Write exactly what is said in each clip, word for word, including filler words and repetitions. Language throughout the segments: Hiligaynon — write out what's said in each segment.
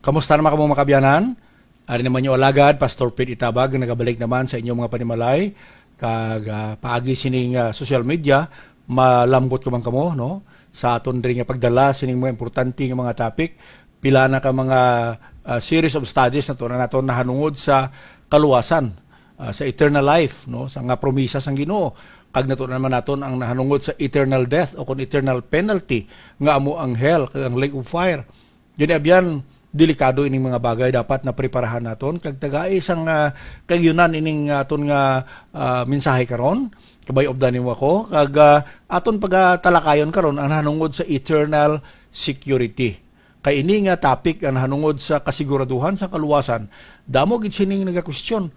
Kamusta naman kamo, mga kabyanan? Ari naman yung alagad, Pastor Pete Itabag, nagabalik naman sa inyong mga panimalay. Kag, ah, paagi sining, ah, social media, malambot ka man kamo, no? Sa aton diri nga pagdala sining mga importante nga mga topic, pila na ka mga, ah, series of studies na to na naton nahanungod sa kaluwasan, ah, sa eternal life, no? Sa nga promisa sang Ginoo, kag nato naman naton ang nahanungod sa eternal death o kung eternal penalty nga amo ang hell kag ang lake of fire. Gani, abyan, delikado ining mga bagay, dapat na preparahan naton kag tagai sang, ah, kayunan ining aton nga, ah, mensahe karon. Kabay-obdan nimo ako kag, ah, aton pagatalakayon karon ang nahanungod sa eternal security. Kay ini nga topic ang nahanungod sa kasiguraduhan sa kaluwasan. Damo gid sining nagakwestiyon.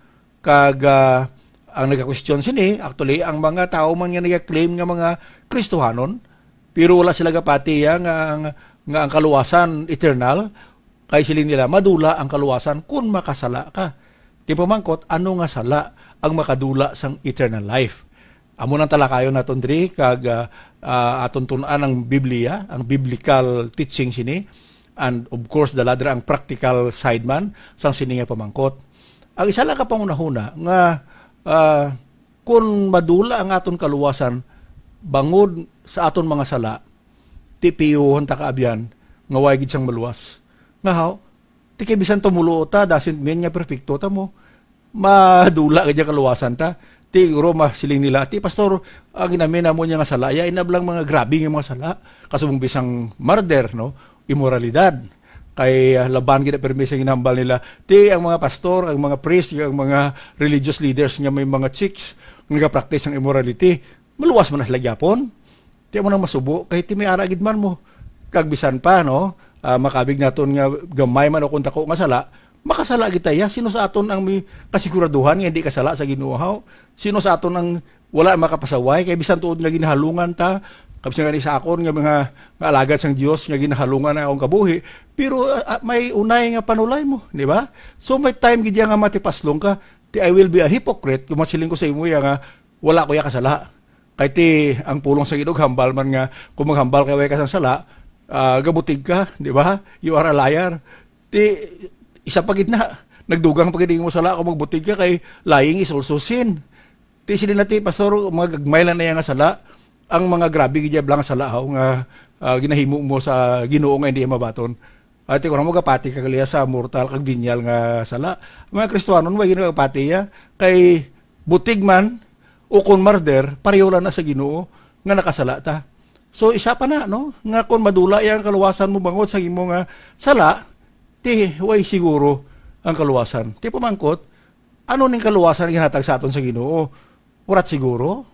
Kag, ah, ang nagakwestiyon sini, actually, ang mga tawo man nga nagaklaim nga mga Kristohanon, pero wala sila gapati ya nga ang, nga ang kaluwasan eternal, kay siling nila, madula ang kaluwasan kun makasala ka. Di pamangkot, ano nga sala ang makadula sang eternal life? Amo nang talakayon naton diri, kag, ah, ah, aton tun-an ang Biblia, ang biblical teaching sini, and of course, dala dira ang practical side man sang sini nga pamangkot. Ang isa lang ka panghunahuna nga, ah, kun madula ang aton kaluwasan bangod sa aton mga sala, ti piyuhon ta kaabyan nga way gid sang maluwas. Nga haw, ti kay bisan tumulo ta, doesn't mean nga perpekto ta mo. Madula gid ang kaluwasan ta. Ti guro masiling nila, "Ti pastor, ang ginamin namo niya nga sala, ya inablang mga grabe nga mga sala. Kasubong bisang murder, no? Imoralidad." Kay, ah, laban gid ang permi sa ginahambal nila. Ti ang mga pastor, ang mga priest, ang mga religious leaders nga may mga chicks nga nagapractice ng immorality, maluwas man na sila gyapon. Ti amo nang masubo, kay ti may ara gid man mo. Kag bisan pa, no, ah, makabig naton nga gamay man o kung dako nga sala, makasala gid ta ya. Sino sa aton ang may kasiguraduhan nga hindi kasala sa Ginoo, haw? Sino sa aton ang wala makapasaway? Kay bisan tuod nga ginahalungan ta, kag bisan gani sa akon nga mga, nga alagad sang Dios nga ginahalungan ang akong kabuhi, pero, ah, ah, may unay nga panulay mo, di ba? So may time gid ya nga matipaslong ka, ti, "I will be a hypocrite kung masiling ko sa imo ya nga wala ko ya kasala." Kay ti, ang pulong sa Ginoo, hambal man nga, kung maghambal kay way ka sang sala, ah, gabutig ka, di ba? You are a liar. Ti, isa pa gid na, nagdugang pa gid mo sala kung magbutig ka, kay lying is also sin. Ti, sila na ti, pastor, mga gagmay lang na yan nga sala, ang mga grabe gid blang sala, haw, nga, ah, ginahimo mo sa Ginoo nga hindi mabaton. Ati ko na mo gapati ka kaliya sa mortal kag venial nga sala. Ang mga Kristiyanon, way ginagapati ya, kay butig man, o kon murder, pareho lang na sa Ginoo nga nakasala ta. So, isa pa na, no, nga kon madula yang kaluwasan mo bangod sa imo nga sala, ti way siguro ang kaluwasan. Ti pamangkot, ano ning kaluwasan nga ginhatag sa aton sa Ginoo? Warat siguro?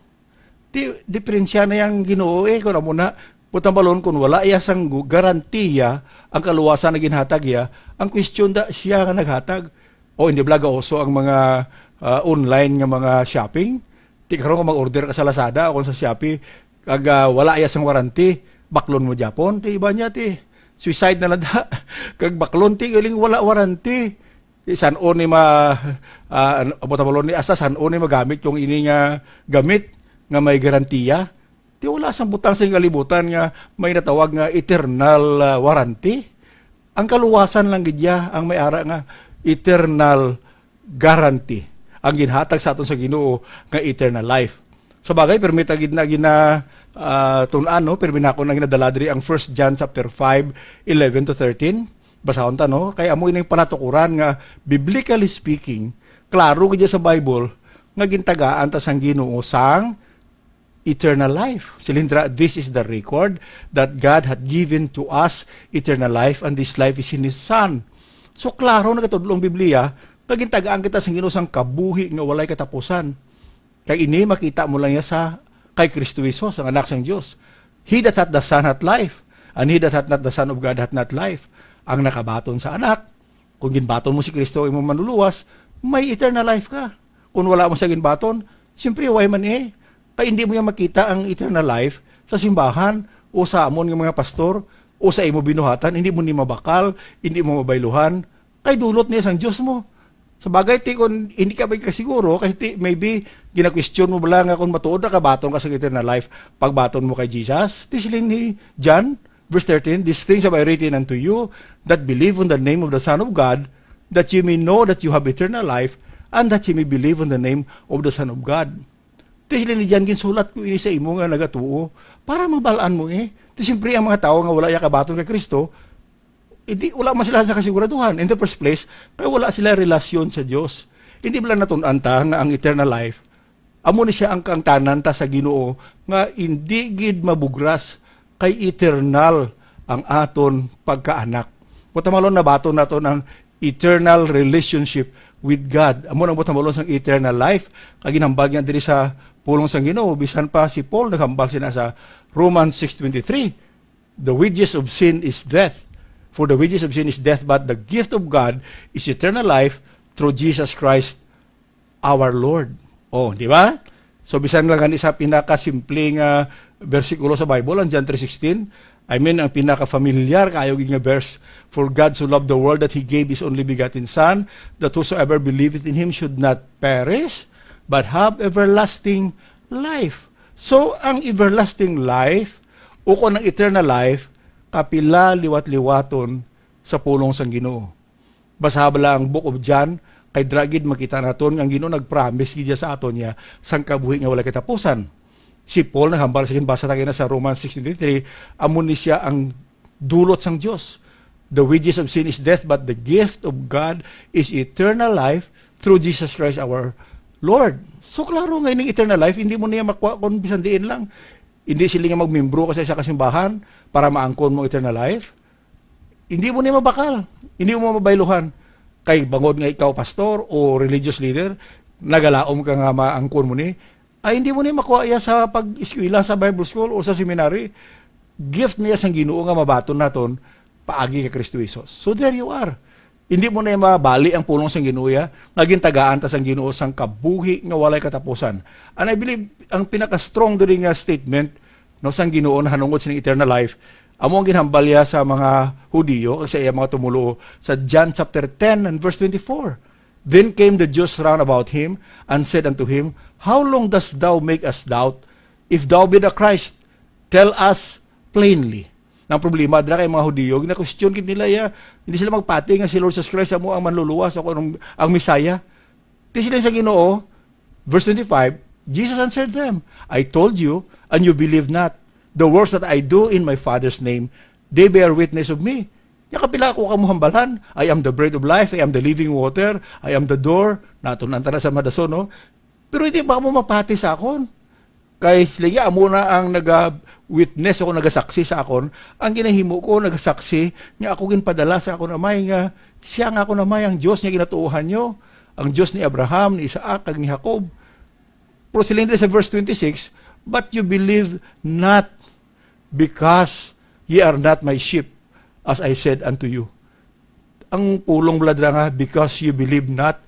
Ti, diferensya na yang Ginoo, eh, kun amo na, butambalon kun wala iya sang gu-, garantiya ang kaluwasan na ginhatag iya, ang question da siya nga naghatag. O hindi bala gauso ang mga, ah, online nga mga shopping? Ti karon kung mag-order ka sa Lazada o kung sa Shopee, kag, ah, wala iya sang warranty, baklon mo gyapon, ti iba niya, ti suicide na lang da. Kag baklon, ti galing wala warranty. Ti san-o ni ma-, ah, ano, amo ta balon ni, hasta san-o ni magamit yung ini nga gamit nga may garantiya? Ti wala sang butang sa kalibutan nga may natawag nga eternal, ah, warranty. Ang kaluwasan lang gid ya ang may ara nga eternal guarantee ang ginhatag sa aton sa Ginoo nga eternal life. Sa bagay, permi ta gid na gina, ah, tun-an, no? Permi nako na ginadala diri ang First John chapter five, eleven to thirteen. Basahon ta, no? Kay amo ining panatukuran nga, biblically speaking, klaro gid sa Bible nga gintagaan ta sang Ginoo sang eternal life. Siling dira, "This is the record, that God hath given to us eternal life, and this life is in His Son." So, klaro nagatudlo ang Biblia nga gintagaan kita sang Ginoo sang kabuhi nga walay katapusan. Kag ini makita mo lang niya sa kay Kristo Jesus, ang Anak sang Dios. "He that hath the Son hath life, and he that hath not the Son of God hath not life." Ang nakabaton sa Anak, kung ginbaton mo si Kristo, imong manluluwas, may eternal life ka. Kung wala mo siya ginbaton, siyempre, way man eh. Kay hindi mo yan makita ang eternal life sa simbahan o sa amon nga mga pastor o sa imo binuhatan. Hindi mo ni mabakal, hindi mo mabayluhan. Kay dulot niya sang Dios mo. Sa bagay, ti, kung hindi ka magkasiguro, kay ti, maybe, ginakwestiyon mo bala nga kung matuod na kabaton ka sa eternal life, pagbaton mo kay Jesus, ti siling ni John, Verse thirteen, "These things have I written unto you that believe on the name of the Son of God, that ye may know that you have eternal life, and that ye may believe on the name of the Son of God." Ti sila ni John, "Ginsulat ko ini sa imo nga nagatuo, para mabal-an mo eh." Ti siyempre, ang mga tawo nga wala ya kabaton kay Kristo, hindi, wala man sila sa kasiguraduhan. In the first place, kay wala sila relasyon sa Dios. Hindi ba lang natun-an ta nga ang eternal life, amo ni siya ang kaangtanan ta sa Ginoo, nga hindi gid mabugras, kay eternal ang aton pagkaanak. Buot silingon, nabaton naton ang eternal relationship with God. Amo nang buot silingon sang eternal life. Kag ginhambal nga diri sa pulong sang Ginoo, bisan pa si Paul naghambal sina sa Romans six twenty-three, "The wages of sin is death. For the wages of sin is death, but the gift of God is eternal life through Jesus Christ our Lord." Oh, di ba? So, bisan lang gani sa pinakasimple nga bersikulo sa Bible, ang John three sixteen, I mean, ang pinaka-familiar kayo gid nga verse, "For God so loved the world that He gave His only begotten Son, that whosoever believeth in Him should not perish, but have everlasting life." So, ang everlasting life, o kung ang eternal life, kapila liwat-liwaton sa pulong sang Ginoo. Basaha bala ang Book of John, kay dira gid makita naton nga ang Ginoo nag-promise gid sa aton niya sang kabuhi nga walay katapusan. Si Paul naghambal sa, basa ta kaina sa Romans six twenty-three, amo ni siya ang dulot sang Dios. "The wages of sin is death, but the gift of God is eternal life through Jesus Christ our Lord." So, klaro nga ining eternal life, hindi mo niya makuha kung bisan diin lang. Hindi sila nga magmembro ka sa isa ka simbahan para maangkon mo eternal life. Hindi mo niya mabakal. Hindi mo mabayluhan. Kay bangod nga ikaw pastor o religious leader, nagalaom ka nga maangkon mo ni, ay hindi mo niya makuha iya sa pag-eskwela sa Bible school o sa seminary. Gift niya sang Ginoo nga mabaton naton paagi kay Kristo Jesus. So there you are. Hindi mo na mabali ang pulong sang Ginoo ya, nga gintagaan ta sang Ginoo sang kabuhi nga walay katapusan. And I believe, ang pinaka-strong diri nga statement, no, sang Ginoo nahanungod sining eternal life, amo ang ginhambal niya sa mga Hudiyo kag sa iya mga tumoluo sa John chapter ten and verse twenty-four. Then came the Jews round about him and said unto him, "How long dost thou make us doubt? If thou be the Christ, tell us plainly." Ang problema dira kay mga Hudiyo, gina-question gid nila ya, hindi sila magpati nga si Lord Jesus Christ amo ang manluluwas o ang, ang Messiah. Ti siling sa Ginoo, verse twenty-five, Jesus answered them, "I told you, and you believe not. The works that I do in my Father's name, they bear witness of me." Nya kapila ako ka mo hambalan? "I am the bread of life, I am the living water, I am the door." Natun-an ta na sa madason, no? Pero hindi ba mo mapati sa akon? Kay sila, amo na ang naga-witness o nagasaksi sa akon. Ang ginahimo ko, nagasaksi nga ako ginpadala sa akon Amay, nga siya nga akon Amay, ang Dios nga ginatuohan nyo, ang Dios ni Abraham, ni Isaac, kag ni Jacob. Pero siling diri sa verse twenty-six, "But you believe not, because ye are not my sheep, as I said unto you." Ang pulong bala dira nga, "Because you believe not,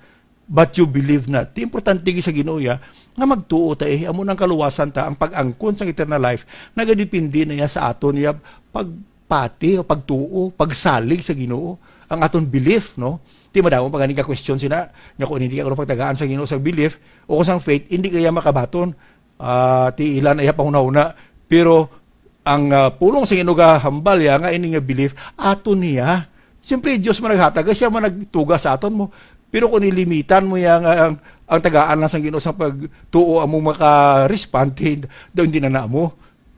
but you believe not." Ti importante gid sa Ginoo ya, nga magtuo ta, eh, amo nang kaluwasan ta, ang pag-angkon sang eternal life, nagadepende na ya sa aton ya pagpati o pagtuo, pagsalig sa Ginoo, ang aton belief, no? Ti madamo pa gani ka question sina, nga kung hindi ka kuno pagtagaan sa Ginoo sa belief o kung sang faith, hindi kaya makabaton. Ah, ti ilan iya panghunahuna. Pero ang, ah, pulong sa Ginoo gahambal ya nga ini nga belief ato niya. Siyempre, Dios man naghatag, kay siya man nagtuga sa aton mo. Pero kung nilimitan mo ya nga ang, ang tagaan lang sa Ginoo sa pagtuo amo maka-respond, daw hindi na namo.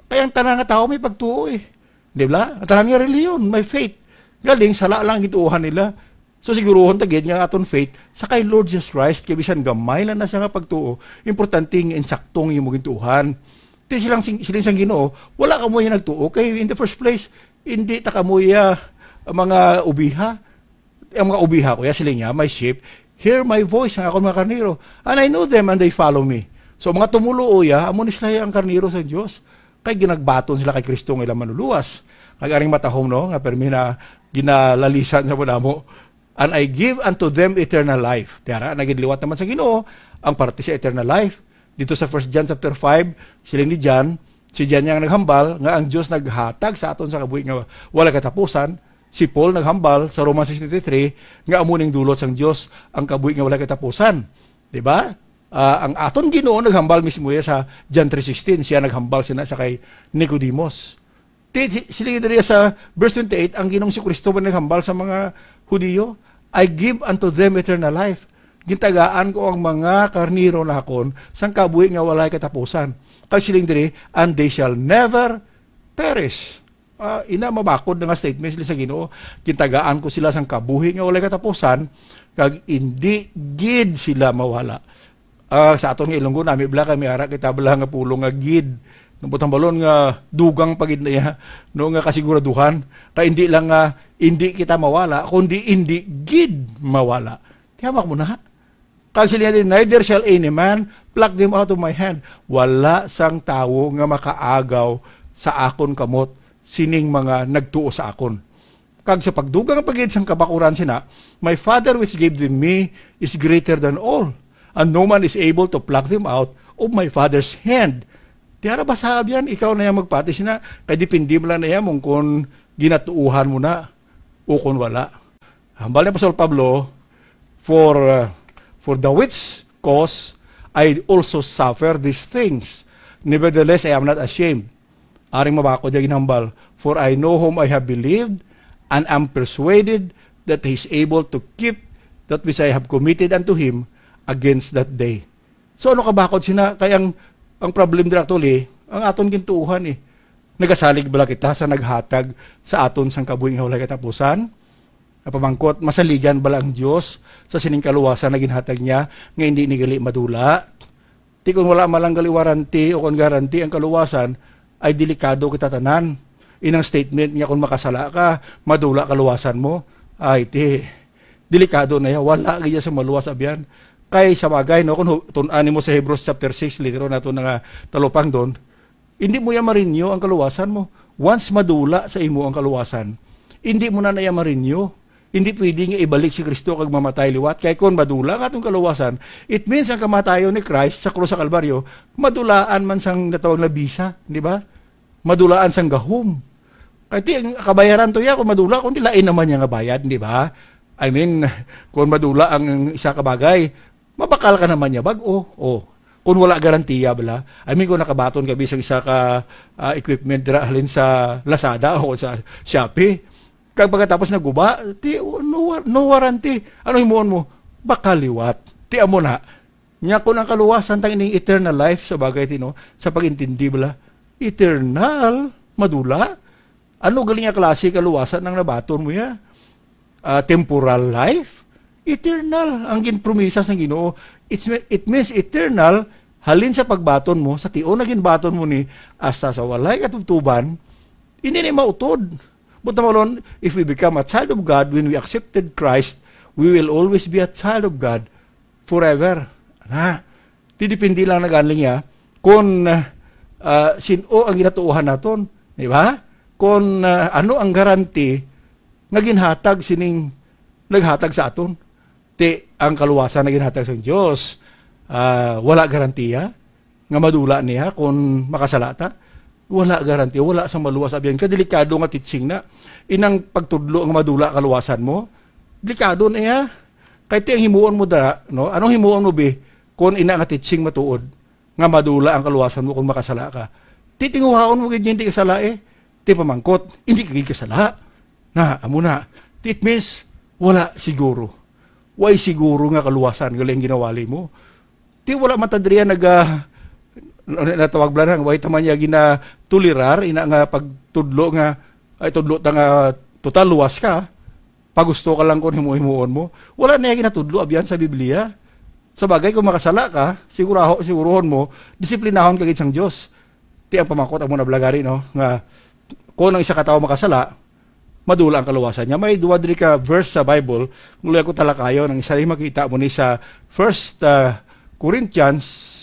Kay ang tanan nga tawo may pagtuo eh. Di ba? Ang tanan nga reliyon, may faith. Galing, sala lang ang gituohan nila. So, siguruhon ta gid nga aton faith sa kay Lord Jesus Christ, kay bisan gamay lang na siya nga pagtuo, importante nga insakto ang imo gintuohan. Ti silang sing-, siling sang Ginoo, wala kamo ya nagtuo, kay in the first place, hindi ta kamo ya mga obiha. Ang mga obiha ko ya, siling niya, "My sheep hear my voice," ang akon mga karnero. "And I know them, and they follow me." So, mga tumoluo ya, amo ni sila ang karnero sa Dios. Kay ginagbaton sila kay Kristo nga ilang manluluwas. Kag aring matahom, no, nga permi na ginalalisan sa madamo. "And I give unto them eternal life." Tiara, nagidliwat naman sa Ginoo ang parte sa eternal life. Dito sa First John chapter five, siling ni John, si John yang naghambal nga ang Dios naghatag sa aton sa kabuhi nga wala katapusan. Si Paul naghambal sa Romans six twenty-three nga amo ning dulot sang Dios, ang kabuhi nga wala katapusan. Di ba? Ah, ang aton Ginoo naghambal mismo ya sa John three sixteen. Siya naghambal sina sa kay Nicodemus. Ti, si, sila diri sa verse twenty-eight, ang Ginoong si Kristo ba naghambal sa mga Hudiyo, "I give unto them eternal life." Gintagaan ko ang mga karnero nakon sang kabuhi nga walay katapusan. Kag siling diri, "And they shall never perish." Ah, ina, mabakod na nga statement sila sa Ginoo. "Gintagaan ko sila sang kabuhi nga walay katapusan, kag indi gid sila mawala." Ah, sa aton nga Ilonggo, nami bala kay may ara kita bala nga pulong nga gid. Nabutang balon nga dugang pa gid na iya, no, nga kasiguraduhan. Kay indi lang nga indi kita mawala, kundi indi gid mawala. Tiyamak mo na. Kag sila din, "Neither shall any man pluck them out of my hand." Wala sang tawo nga makaagaw sa akon kamot sining mga nagtuo sa akon. Kag sa pagdugang pa gid sang kabakuran sina, "My Father which gave them me is greater than all, and no man is able to pluck them out of my Father's hand." Tiara ba sa abyan, ikaw na yang magpati sina, kay depende mo lang na iya mong kung ginatuuhan mo na o kung wala. Hambal ni Apostol Pablo, "For, uh, for the which cause I also suffer these things. Nevertheless, I am not ashamed." Aring mabakod niya ginhambal, "For I know whom I have believed, and am persuaded that he is able to keep that which I have committed unto him against that day." So, ano kabakod sina? Kay ang, ang problem dira actually, ang aton gintuuhan eh. Nagasalig bala kita sa naghatag sa aton sang kabuhi nga walay katapusan? Napamangkot, masaligan bala ang Dios sa sining kaluwasan na ginhatag niya nga hindi ni gali madula? Ti kon wala man lang gali warranty o kon guarantee ang kaluwasan, ay delikado kita tanan. Inang statement nga kon makasala ka, madula kaluwasan mo, ay ti, delikado na ya. Wala gid sa maluwas abyan. Kay sa bagay, no, kung hu-, tun-an nimo sa Hebrews chapter six, later on nato na nga talupangdon, hindi mo ya marinyo ang kaluwasan mo. Once madula sa imo ang kaluwasan, hindi mo na na ya marinyo. Hindi pwede nga ibalik si Kristo kag mamatay liwat. Kay kon madula nga atong kaluwasan, it means ang kamatayon ni Christ sa krus sa Kalbaryo, madulaan man sang natawag na bisa, di ba? Madulaan sang gahom. Kay ti, ang kabayaran to ya, kung madula, kung di lain naman niya nga bayad, di ba? I mean, kung madula ang isa ka bagay, mabakal ka naman niya bag-o. Oh. Kung wala garantiya bala. I mean, kung nakabaton ka bisag isa ka, ah, equipment dira halin sa Lazada o sa Shopee, kag pagkatapos naguba, ti, no, war-, no warranty. Ano himuon mo? Baka liwat. Ti amo na. Nya kung ang kaluwasan tang ining eternal life sa bagay tino, sa pag-intindi bala, eternal, madula. Ano galing nga klase kaluwasan ang nabaton mo ya? Ah, temporal life? Eternal ang ginpromisa sang Ginoo. It's, it means eternal, halin sa pagbaton mo, sa tion na ginbaton mo ni, hasta sa walay katubtuban, hindi ni mautod. But naman, if we become a child of God, when we accepted Christ, we will always be a child of God forever. Na, ti depende lang na gani niya kung, ah, sin-o ang ginatuohan naton, di ba? Kung, ah, ano ang garanti nga ginhatag sining naghatag sa aton. Ti ang kaluwasan na ginhatag sang Dios, ah, wala garantiya nga madula niya kung makasala ta. Wala garantiya, wala sa maluwas. Abyan ka, delikado nga teaching na. Inang pagtudlo nga madula kaluwasan mo, delikado na iya. Kay ti ang himuon mo dara, no? Anong himuon mo, bi? Kung ina nga teaching matuod, nga madula ang kaluwasan mo kung makasala ka. Titinguhaon mo gid niya hindi kasala eh. Ti pamangkot, hindi ka gid kasala. Na, amo na. It means, wala siguro. Way siguro nga kaluwasan, gali ang ginawali mo. Ti wala man ta diri naga, ano, natawag bala na, way ta man niya ginatolerar, ina nga pagtudlo nga, ay, tudlo ta nga total luwas ka, pagusto ka lang kung himo-himuon mo. Wala na niya ginatudlo, abyan sa Biblia. Sa bagay, kung makasala ka, siguraho, siguruhon mo, disiplinahon ka gid sang Dios. Ti ang pamakot amo na bala gani, no, nga kung ang isa ka tawo makasala, madula ang kaluwasan niya. May duwa diri ka verse sa Bible, kung luya ko talakayon, ang isa ay makita mo ni sa First, uh, Corinthians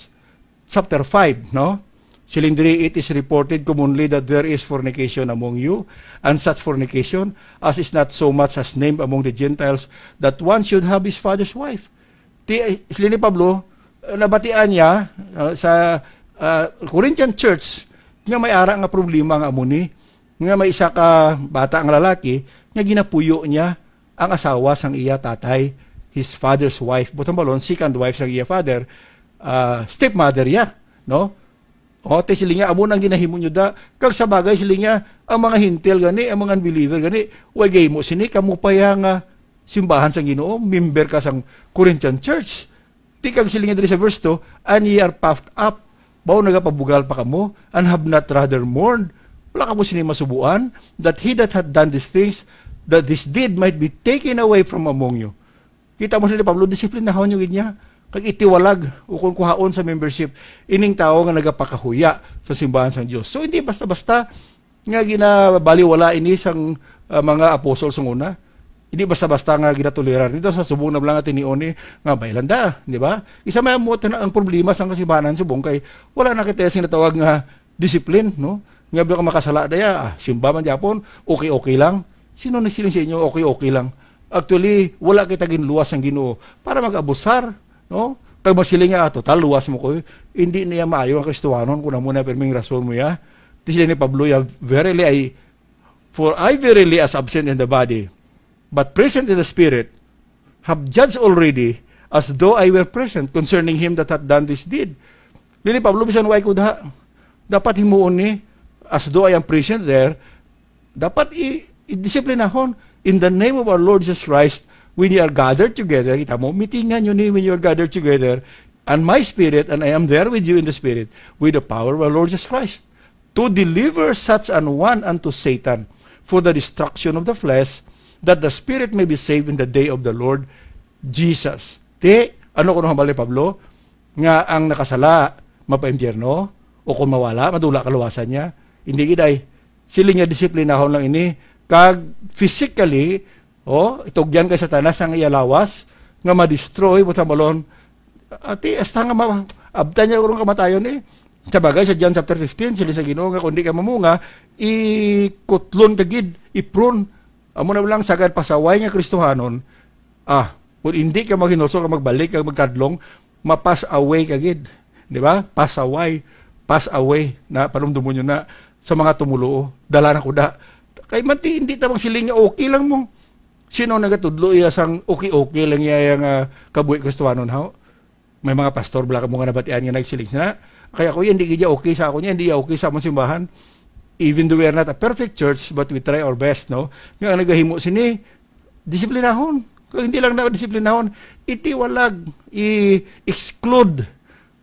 chapter five, no? Siling diri, "It is reported commonly that there is fornication among you, and such fornication as is not so much as named among the Gentiles, that one should have his father's wife." Ti, eh, sila ni Pablo, eh, nabatian niya, ah, sa, ah, Corinthian church nga may ara nga problema nga amo ni, nga may isa ka bata nga lalaki nga ginapuyo niya ang asawa sang iya tatay, his father's wife. Butang balon, second wife sang iya father, ah, stepmother ya, no? O, ti sila nga, amo nang ginahimo nyo da. Kag sa bagay, sila nga, ang mga hintil gani, ang mga unbeliever gani, way gahimo sini, kamo pa ya nga simbahan sang Ginoo, member ka sang Corinthian church. Ti kag sila nga diri sa verse two, "And ye are puffed up." Bawo nagapabugal pa kamo, "and have not rather mourned." Wala kamo sini masubuan, "that he that hath done these things, that this deed might be taken away from among you." Kita mo sila ni Pablo, disiplinahon nyo gid niya. Kag itiwalag, ukon kuhaon sa membership, ining tawo nga nagapakahuya sa simbahan sang Dios. So, hindi basta-basta nga ginabaliwala ini sang, ah, mga apostol sang una. Hindi basta-basta nga ginatolerar. Dito sa subong na lang nga tinion ni nga may landa, di ba? Isa may amo na ang problema sang kasimbahanan subong kay wala na kita sing natawag nga discipline, no? Nga ba ka makasala daya, ah, simba man gyapon, okay-okay lang. Sino nagsiling sa inyo, okay-okay lang? Actually, wala kita ginluwas sang Ginoo para mag-abusar, no? Kag masiling nga, "Ah, total, luwas mo ko." Hindi niya maayo ang Kristohanon kung amo na pirming rason mo ya. Ti sila ni Pablo ya, "Verily, I, for I verily as absent in the body, but present in the spirit, have judged already as though I were present concerning him that hath done this deed." Dili, Pablo, bisan way ko daha. Dapat himuon ni, "As though I am present there." Dapat i-, i-disiplinahon. "In the name of our Lord Jesus Christ, when you are gathered together," kita mo, mitingan nyo ni when you are gathered together, "and my spirit, and I am there with you in the spirit, with the power of our Lord Jesus Christ, to deliver such an one unto Satan for the destruction of the flesh, that the spirit may be saved in the day of the Lord Jesus." Ti, ano kuno hambal ni Pablo? Nga ang nakasala mapaimpyerno, o kung mawala, madula kaluwasan niya. Hindi gid ay. Sila nga disiplinahon lang ini. Kag physically, o, itugyan kay Satanas ang iya lawas, nga ma-destroy, buot hambalon, ati, hasta nga ma-, abtan niya urong kamatayon eh. Sa bagay, sa John chapter fifteen, sila sa Ginoo nga, "Kung di ka mamunga, ikutlon ka gid, ipron." Amo na lang sagad pasaway nga Kristohanon, ah, kung hindi ka maghinulsol ka, magbalik ka, magkadlong, ma-pass away ka gid. Di ba? Pass away. Pass away na, panumdumon nyo na, sa mga tumuluo. Dala na ko da. Kay manti, hindi ta bang siling nga okay lang mo. Sino nagatudlo iya sang okay-okay lang iya nga kabuhi Kristohanon, haw? May mga pastor bala mo nga nabatian nga nagsiling sina, "Kay ako yan, di gid ya okay sa ako niya, hindi ya okay sa among simbahan." Even though we are not a perfect church, but we try our best, no? Nga ang nagahimo sini, disiplinahon. Kung hindi lang na disiplinahon, itiwalag, i-exclude.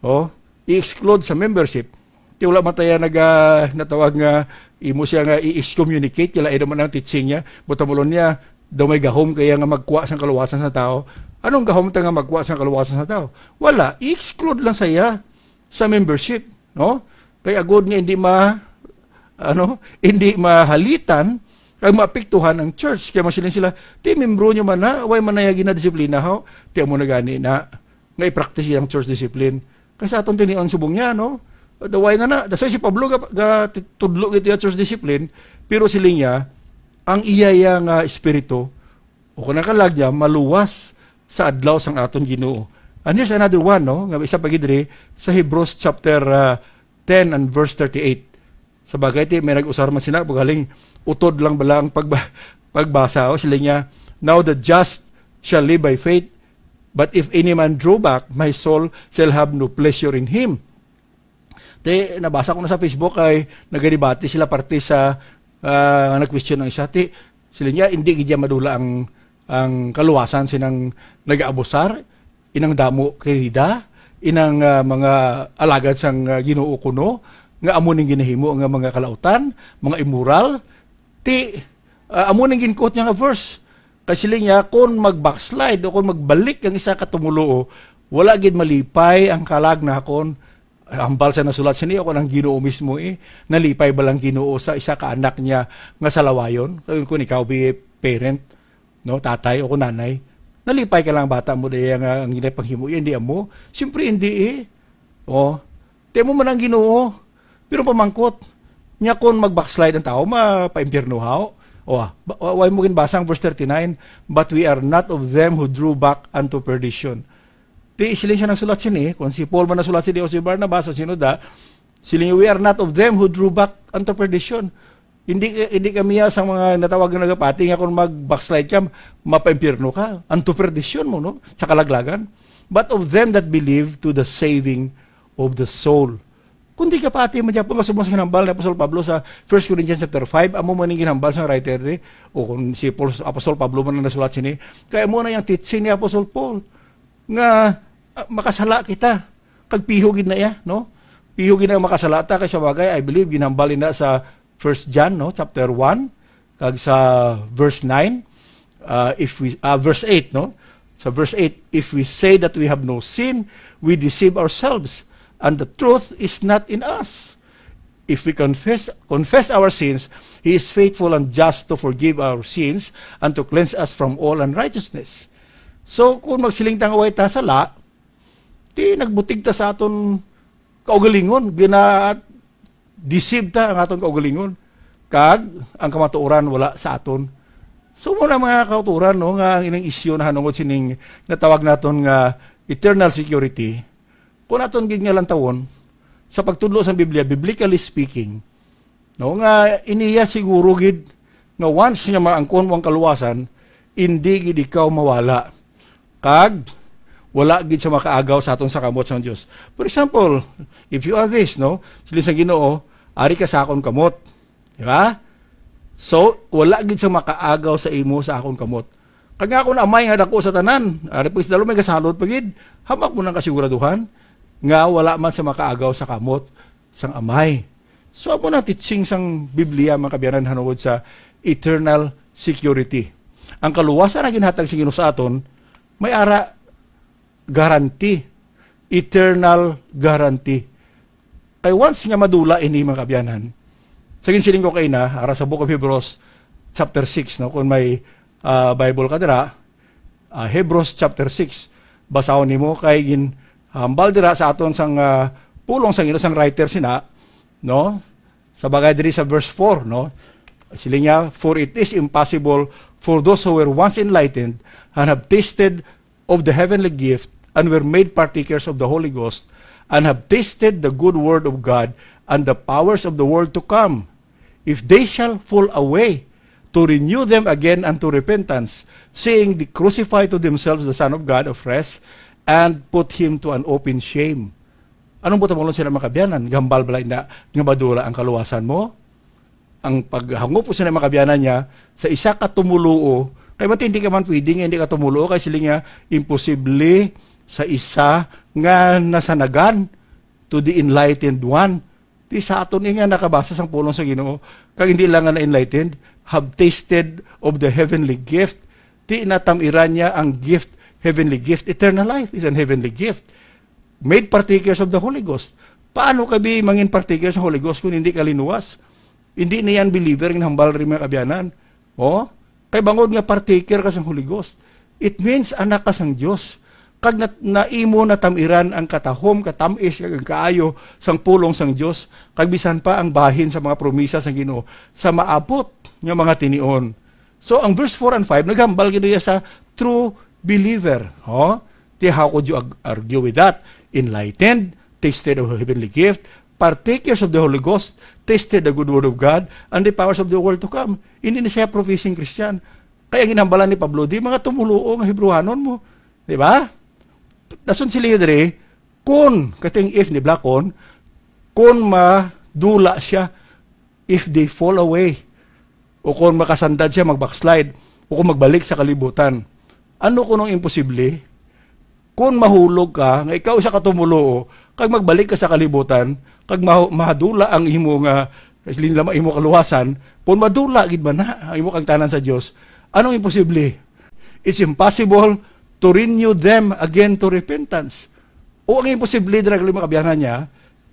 Oh, i-exclude sa membership. Ti wala man tayo naga-, natawag nga imo siya nga i-excommunicate, kila ino man ang teaching niya. Butamulon niya, daw may gahom kaya nga magkuha sang kaluwasan sa tao. Anong gahom ta nga magkuha sang kaluwasan sa tao? Wala, i-exclude lang saya sa membership, no? Kay agod nga hindi ma-, ano, hindi mahalitan kag maapektuhan ang church. Kaya masiling sila, "Ti membro nyo man na, way man na ya ginadisiplina, ho?" Ti amo na gani na nga i-practice ang church discipline. Kay sa aton tinion subong niya, no? Daway na na. That's why si Pablo ga, ga tudlo gid ya church discipline, pero siling niya, ang iya ya nga espiritu, o kung nakalag niya, maluwas sa adlaw sang aton Ginoo. And here's another one, no? Nga isa pa gid diri sa Hebrews chapter, ah, ten and verse thirty-eight. Sa bagay, ti, may nag-usar man sina, pagaling utod lang bala ang pagba-, pagbasa, o, sila niya, "Now the just shall live by faith, but if any man draw back, my soul shall have no pleasure in him." Ti, nabasa ko na sa Facebook ay nagadebate sila parte sa, ah, nag-question ang isa. Ti, sila niya, hindi gid niya madula ang, ang kaluwasan sinang nag-aabusar, inang damo kay Rida, inang, ah, mga alagad sang, ah, Ginoo kuno, nga amo ning ginahimo nga mga kalautan, mga immoral. Ti, ah, amo ning gin-quote niya nga verse. Kay siling niya, "Kon mag-backslide o kon magbalik ang isa ka tumuluo, wala gid malipay ang kalag nakon." Hambal sa nasulat sini, ako ang Ginoo mismo eh. Nalipay ba lang Ginoo sa isa ka anak niya nga salawayon? Kay kung ikaw, be parent, no, tatay o kung nanay, nalipay ka lang bata mo daya nga ang ginay panghimo, hindi amo. Siyempre, hindi eh. Oh, ti amo man ang Ginoo. Pero pamangkot, niya kung mag-backslide ang tao, mapaimpyerno haw. O, ah, ba-, wa-, wa mo ginbasa ang verse thirty-nine, "But we are not of them who drew back unto perdition." Ti, siling siya nagsulat sini, kung si Paul man nagsulat sini o si Barnabas o sino da, siling, "We are not of them who drew back unto perdition." Hindi, hindi kami ya sa mga natawag nga nagapati nga kung mag-backslide ka, mapaimpyerno ka. Unto perdition mo, no? Sa kalaglagan. "But of them that believe to the saving of the soul." Kundi kapati man gyapon nga subong sa ginhambal ni Apostol Pablo sa First Corinthians chapter five, amo man ang ginhambal sa writer ni, o kung si Paul, Apostol Pablo man ang nasulat sini, kay amo na yung teaching ni Apostol Paul nga, ah, makasala kita. Kag piho gid na iya, no? Piho gid na makasala ta, kay sa bagay, I believe, ginhambal na sa First John, no, chapter one, kag sa verse nine, uh, if we, uh, verse eight, no? Sa verse eight, "If we say that we have no sin, we deceive ourselves, and the truth is not in us. If we confess, confess our sins, He is faithful and just to forgive our sins and to cleanse us from all unrighteousness." So, kung magsiling ta nga way ta sala, di nagbutig ta sa aton kaugalingon, gina-deceive ta ang aton kaugalingon, kag ang kamatuoran wala sa aton. So, muna, mga kauturan, no, nga ang ining isyu nahanungod sining natawag naton nga eternal security, kung aton gid nga lantawon, sa pagtudlo sa Biblia, biblically speaking, no, nga iniya siguro gid nga once nga maangkon mo ang kaluwasan, indi gid ikaw mawala. Kag wala gid sa makaagaw sa aton sa kamot sang Dios. For example, if you are this, no, siling sa Ginoo, "Ari ka sa akon kamot." Di ba? So, wala gid sa makaagaw sa imo sa akon kamot. Kag nga akon Amay nga dako sa tanan, ari po isdalo may gasalot pa gid, hamak mo nang kasiguraduhan nga wala man sa makaagaw sa kamot sang Amay. So, amo na teaching sang Biblia, mga kaabyanan, hanungod sa eternal security. Ang kaluwasan na ginhatag sa Ginoo sa aton, may ara guarantee, eternal guarantee. Kay once nga madula ini, mga kaabyanan, sa ginsiling ko kay na, ara sa Book of Hebrews, chapter six, no? Kung may, ah, Bible ka dira, ah, Hebrews chapter six, basahon nimo kay ginhambal dira sa aton sang, ah, pulong sang Ginoo sang writer sina, no? Sa bagay diri sa verse four, no? Siling niya, "For it is impossible for those who were once enlightened and have tasted of the heavenly gift and were made partakers of the Holy Ghost and have tasted the good word of God and the powers of the world to come, if they shall fall away, to renew them again unto repentance, seeing they crucify to themselves the Son of God afresh and put him to an open shame." Anong buot hambalon sila, mga kaabyanan? Gambal bala na nga madula ang kaluwasan mo? Ang paghangop ko sa mga kaabyanan niya, sa isa ka tumuluo, kay matindi ka man pwede nga hindi ka tumuluo, kay sila nga imposible sa isa nga nasanagan to the enlightened one. Di sa aton nga nakabasa sang pulong sa Ginoo, kag hindi lang nga na-enlightened, have tasted of the heavenly gift. Di natam-iran niya ang gift, heavenly gift. Eternal life is an heavenly gift. Made partakers of the Holy Ghost. Paano ka bi mangin partakers sa Holy Ghost kung hindi ka linuwas? Hindi na yan believer ang hambal rin, mga kaabyanan. Oh? Kay bangod nga partaker ka sa Holy Ghost, it means anak ka sang Dios. Kag nat-, naimo natamiran ang katahom, katamis, kag ang kaayo sang pulong sang Dios, kag bisan pa ang bahin sa mga promisa sang Ginoo sa maabot nga mga tinion. So, ang verse four and five, naghambal gid iya sa true believer. Oh? Ti, how could you ag-, argue with that? Enlightened, tasted of heavenly gift, partakers of the Holy Ghost, tasted the good word of God, and the powers of the world to come. Hindi na siya professing Christian. Kaya ginhambalan ni Pablo, di mga tumuluo nga Hebrewanon mo. Di ba? Dason sila diri, kun, kating if ni Blakon, kun madula siya, if they fall away, o kung makasandad siya, mag-backslide, o kung magbalik sa kalibutan. Ano kuno ang imposible? Kung mahulog ka, nga ikaw isa ka tumuluo, kag magbalik ka sa kalibutan, kag mahu-, mahadula ang imo nga, linlama imo kaluwasan, kung madula gid man na ang imo kangtanan sa Dios, anong imposible? It's impossible to renew them again to repentance. O ang imposible, dira, mga kaabyanan niya,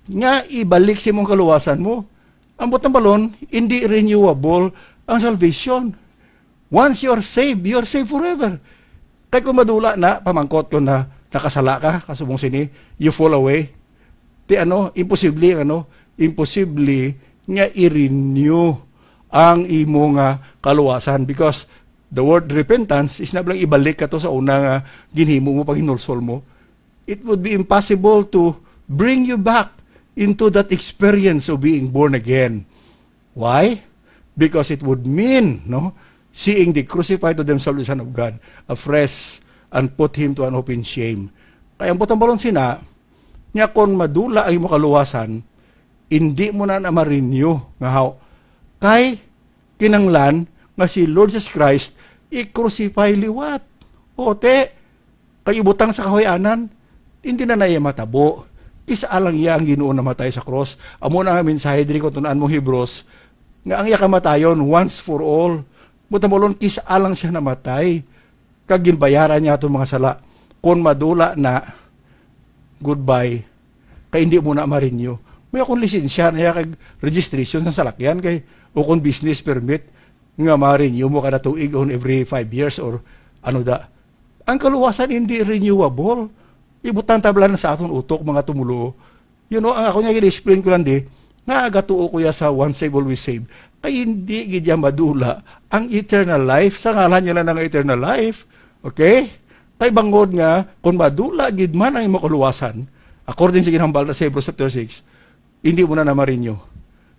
nga ibalik sa imong kaluwasan mo. Ang buot hambalon, hindi renewable ang salvation. Once you are saved, you are saved forever. Kay kung madula na, pamangkot ko na, nakasala ka, kasubong sini, you fall away. Ti ano, imposible ang ano, imposible nga i-renew ang imo nga kaluwasan, because the word repentance is na lang ibalik ka to sa una nga ginhimo mo, paghinulsol mo. It would be impossible to bring you back into that experience of being born again. Why? Because it would mean, no, seeing they crucify to themselves the Son of God afresh and put him to an open shame. Kaya ang buot hambalon sina, niya, kung madula ang imo kaluwasan, Indi mo na na ma-renew nga haw. Kay kinanglan nga si Lord Jesus Christ i-crucify liwat. O, te, kay ibutang sa kahuy-anan, hindi na na iya matabo. Kis-a lang iya ang Ginoo namatay sa cross. Amo na nga mensahe diri kung tun-an mo Hebrews, nga ang iya kamatayon once for all. Buta mo lon, kis-a lang siya namatay. Kag ginbayaran niya aton mga sala. Kon madula na, goodbye. Kay hindi mo na ma-renew. May akong lisensya na iya kag registration sa salakyan kay o kon business permit nga ma-renew mo kada tuig on every five years or ano da. Ang kaluwasan hindi renewable. Ibutang tabla na sa aton utok, mga tumulo. You know, ang ako niya gina-explain ko lang di, nga agatuo ko ya sa once saved, always saved. Kay hindi gid ya madula ang eternal life. Sa ngalan niya lang ang eternal life. Okay? Kay bangod nga, kung madula gid man ang imong kaluwasan, according sa ginhambal na sa Hebrews chapter six, hindi mo na na-renew.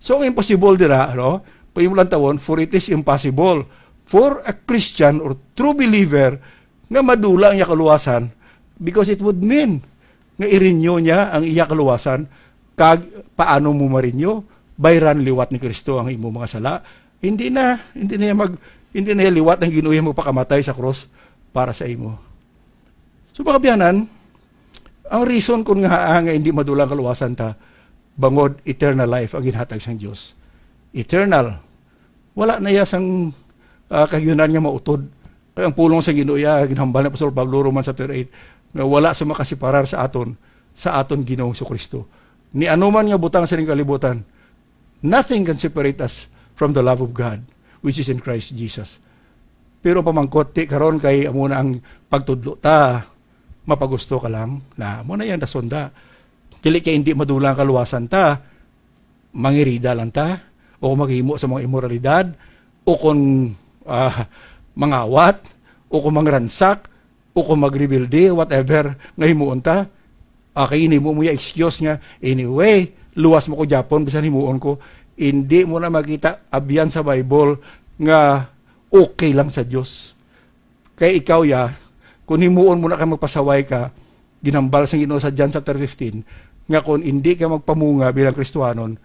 So, ang imposible dira, no? Kung imo lang tawon, for it is impossible for a Christian or true believer nga madula ang iya kaluwasan, because it would mean nga i-renew niya ang iya kaluwasan. Kag paano mo ma-renew? Bayran liwat ni Kristo ang imo mga sala. Hindi na, hindi na iya mag, hindi na iya liwat ang Ginoo iya magpakamatay sa cross para sa imo. So, mga biyanan, ang reason kun nga, ah, nga hindi madula ang kaluwasan ta, bangod eternal life ang ginhatag sang Dios. Eternal. Wala na iya sang, ah, kahiunan nga mautod. Kay ang pulong sa Ginoo iya, ginhambal ni Apostol Pablo, Romans chapter eight, nga wala sa makasiparar sa aton, sa aton Ginoong Jesu-Cristo. Ni ano man nga butang sa ning kalibutan, nothing can separate us from the love of God, which is in Christ Jesus. Pero pamangkot, ti karon kay amo na ang pagtudlo ta, mapagusto ka lang, na amo na yan, dasonda. Dili kay hindi madula ang kaluwasan ta, mangirida lang ta, o kung maghimo sa mga imoralidad, o kung, ah, mangawat, o kung mangransak, o kung magrebelde, whatever nga himuon ta. Ah, kay ini mo mo ya excuse nga, "Anyway, luwas mo ko gyapon, bisan himuon ko." Hindi mo na makita abyan sa Bible nga okay lang sa Dios. Kay ikaw ya, kung himuon mo na kay magpasaway ka, ginhambal sang Ginoo sa John chapter fifteen, nga kung hindi ka magpamunga bilang Kristiyanon,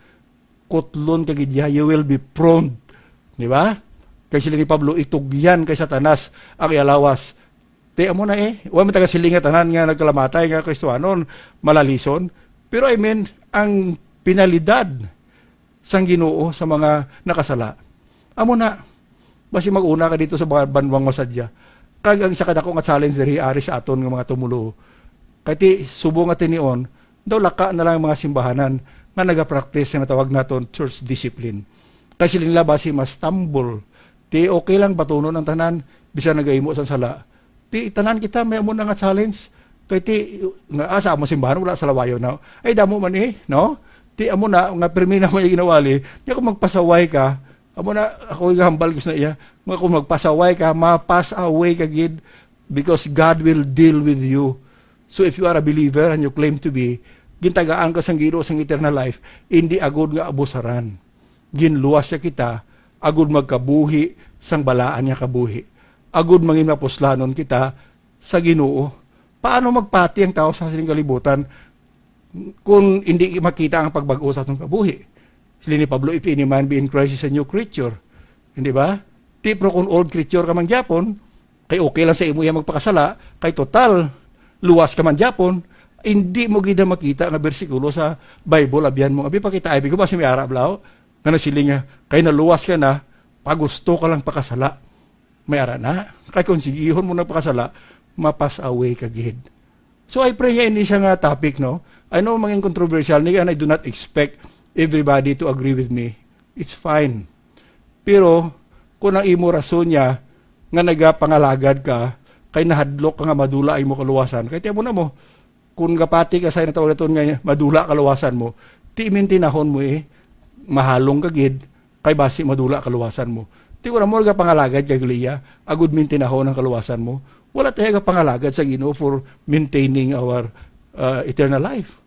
kutlon ka gid ya, you will be pruned. Di ba? Kay sila ni Pablo, itugyan kay Satanas ang iya lawas. Ti amo na eh, wa man taga siling nga tanan nga nagkalamatay nga Kristiyanon, malalison. Pero I mean, ang penalidad sang Ginoo sa mga nakasala. Amo na, basi mag-una ka dito sa mga banwang masadya. Kag ang isa ka dako nga challenge diri ari sa aton nga mga tumulo. Kay ti, subong nga tinion, daw laka na lang ang mga simbahanan nga nagapractice sa natawag naton church discipline. Kay sila nila basi mas tambol. Ti okay lang batunon ang tanan, bisan nagahimo sang sala. Ti tanan kita may amo na nga challenge. Kay ti nga asa amo simbahan wala sa lawayo na. Ay damo man eh, no? Ti amo na nga permi na mo yung ginawali. Di ako magpasaway ka. Amo na ako gahambal ko sa iya. Nga kung magpasaway ka, mapas away ka gid because God will deal with you. So if you are a believer and you claim to be, gintagaan ka sang Ginoo sang eternal life, hindi agud nga abusaran. Ginluwas siya kita agud magkabuhi sang balaan nga kabuhi, agud mangin mapuslanon kita sa Ginoo. Paano magpati ang tawo sa sining kalibutan kung hindi makita ang pagbag-o sa atong kabuhi? Sili ni Pablo, "If any man be in Christ, is a new creature." Hindi ba? Ti, pero kung old creature ka man gyapon, kay okay lang sa imo iya magpakasala, kay total, luwas ka man gyapon, hindi mo gid na makita nga bersikulo sa Bible, abyan mo, abi pa kita, abi ko ba si may ara, blaw? Nga nasiling nga, kay naluwas ka na, pagusto ka lang pakasala. May ara na. Kay kung sigihon mo nagpakasala, mapas away ka gid. So I pray nga ini siya nga topic, no? I know mangin controversial ni, and I do not expect everybody to agree with me. It's fine. Pero kung ang imo rason niya nga nagapangalagad ka, kay nahadlok ka nga madula ang imo kaluwasan, kay tiyan mo na mo, kung gapati ka sa natawag naton nga madula kaluwasan mo, ti mintinahon mo eh, mahalong ka gid, kay basi madula kaluwasan mo. Ti wala mo nagapangalagad kay Gliya, agud mintinahon ang kaluwasan mo. Wala tayo gapangalagad sa Ginoo for maintaining our uh, eternal life.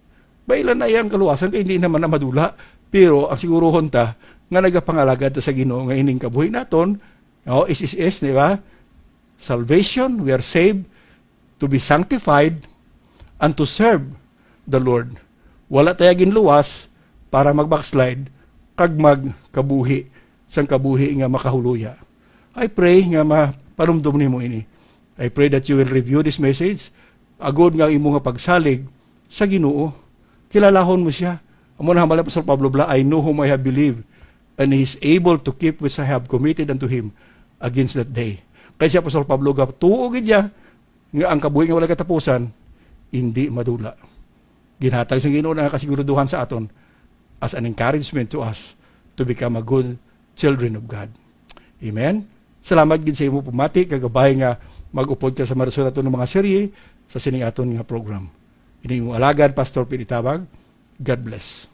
Bailan na iyang kaluwasan kay hindi naman na madula. Pero ang siguruhon ta nga nagapangalagad ta sa Ginoo nga ining kabuhi naton, no, S S S, di ba? Salvation, we are saved to be sanctified and to serve the Lord. Wala tayo ginluwas para mag-backslide kag magkabuhi sang kabuhi nga makahuluya. I pray nga mapanumdom nimo ini. I pray that you will review this message agod nga imo nga pagsalig sa Ginoo. Kilalahon mo siya. Amo na hambal ni Apostol Pablo bala, "I know whom I have believed, and he is able to keep which I have committed unto him against that day." Kay si Apostol Pablo gatuo gid niya nga ang kabuhi nga walay katapusan hindi madula. Ginhatag sang Ginoo ang kasiguraduhan sa aton as an encouragement to us to become a good children of God. Amen. Salamat gid sa imo pamati, kagabay nga mag-upod ka sa marason naton nga mga serye sa sining aton nga program. Ini imong alagad, Pastor Pete Tabag. God bless.